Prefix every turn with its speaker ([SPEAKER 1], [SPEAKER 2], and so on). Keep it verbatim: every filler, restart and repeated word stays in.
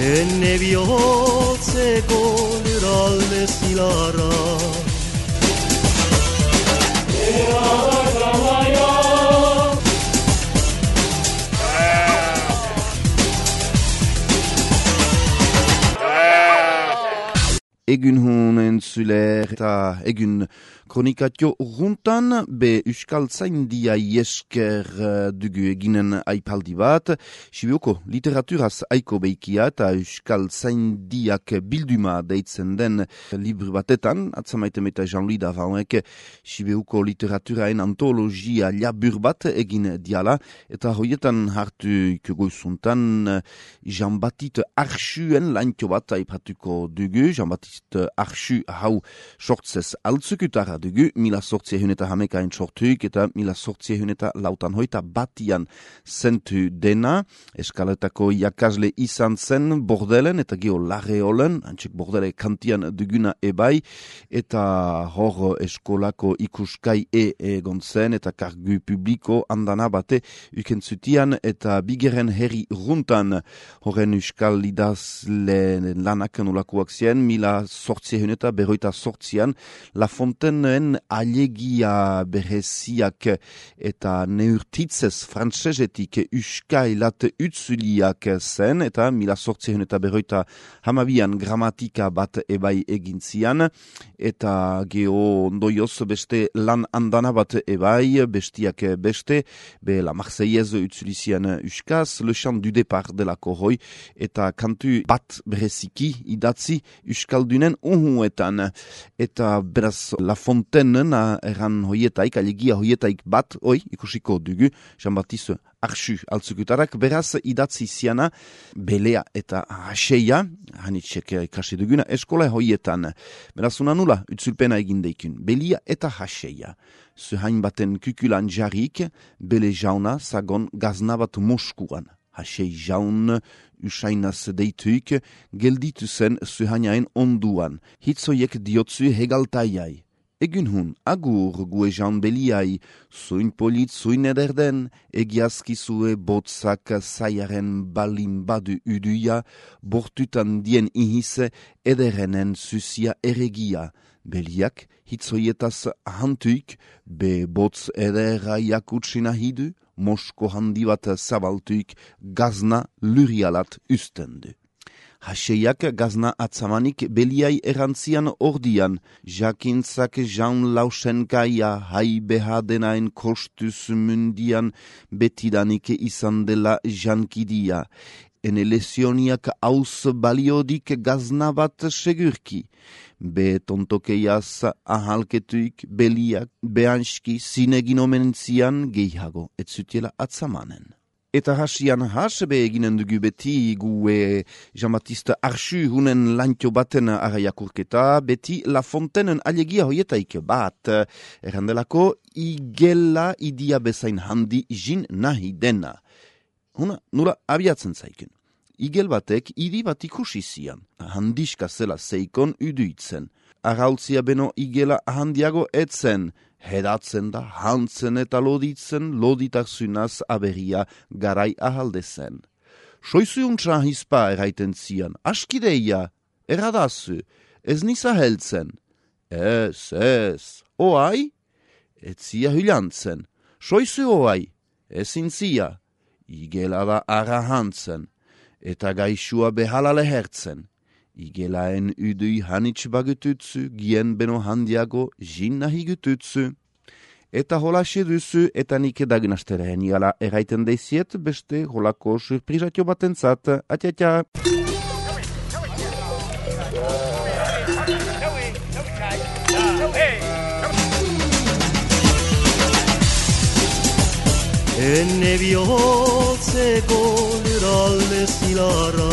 [SPEAKER 1] Enne bihotzeko lurralde zilarra
[SPEAKER 2] Egun hun entzuler eta egun kronikatio runtan be Euskal Zaindia iesker dugu eginen aipaldi bat. Sibioko literaturaz aiko beikia eta Euskal Zaindiak bilduma deitzen den libru batetan, atzamaiten eta Jean-Louis Davauek Sibioko literaturaen antologia labur bat egin diala, eta hoietan hartu ikugoizuntan Jean-Baptiste Archuen laintio bat aipatuko dugu. Jean-Baptiste Archu hau sortzez altzukutara dugu, mila sortziehun eta hamekain sortuik eta mila sortziehun eta lautan hoita batian zentu dena. Eskaletako jakasle izan zen Bordelen eta geo Larreolen, antxek Bordele kantian duguna ebai, eta hor eskolako ikuskai e egon zen eta kargu publiko andana bate ukentzutian eta bigeren herri runtan horren euskal idazle lanak nolakoak zien, mila sortziehun eta berroita sortzian La Fontaine'en alegia bereziak eta neurtitzez frantsesetik euskailat utzuliak zen, eta mila sortziehun eta berroita hamabian gramatika bat ebai egintzian, eta geo ondoioz beste lan andana bat ebai, bestiak beste, be la Marseillaise utzulizian euskaz, Le Chant du Départ de la Corroi, eta kantu bat bereziki idatzi euskaldunen uhuetan, eta beraz La Fontaine'en erran hoietaik, alegia hoietaik bat, oi, ikusiko dugu, Jean-Baptiste Archu altzukutarak, beraz idatzi ziana belea eta haseia, hanitxek ikasi duguna, eskola hoietan. Beraz unanula, utzulpena egin deikun, belia eta haseia. Zuhain baten kukulan jarrik, bele jauna zagon gazna bat Moskuan. Hasei jaun usainaz deituik, gelditu zen zuhainaen onduan. Hitzoiek diotzu hegaltaiai. Egun hun, agur gue jaun beliai, zuin polit zuin ederden, egiazkizue botzak zaiaren balin badu uduia, bortutan dien ihise ederenen zuzia eregia. Beliak hitzoietaz hantuik, be botz edera jakutsina hidu, Mosko handi bat zabaltuik gazna lurialat ustendu. Haseiak gazna atzamanik beliai erantzian ordian, jakintzak jaun lausenkaia hai behadenaen kostuz mundian betidanik izan dela jankidia. Ene lesioniak hauz baliodik gazna bat segurki. Be tontokeiaz ahalketuik beliak behanski zinegin omentzian gehiago etzutiela atzamanen. Eta hasian has be eginen dugu beti gue Jean-Baptiste Archu hunen lantio baten araiakurketa, beti La Fontaine'en alegia hoietaik bat, errandelako igela idia bezain handi jin nahi dena. Huna, nula abiatzen zaikun. Igel batek idi bat ikusi zian, handiska zela zeikon uduitzen. Arautzia beno igela handiago etzen, hedatzen da hantzen eta loditzen, loditakzunaz aberia garai ahaldezen. Soizu untsa hispa eraiten zian, askideia, eradazu, ez nisa heltzen. Ez, ez, oai? Etzia hylantzen. Soizu oai, ezin zia. Igela da ara hantzen. Eta gaixua behala lehertzen. Igelaen udui hanitz bagututzu, gien beno handiago jin nahi gututzu. Eta hola seduzu, eta nik dagunasteren igala eraiten deiziet, beste holako surprizatio batentzat. Atia,
[SPEAKER 1] Enne bihotzeko lurralde zilarra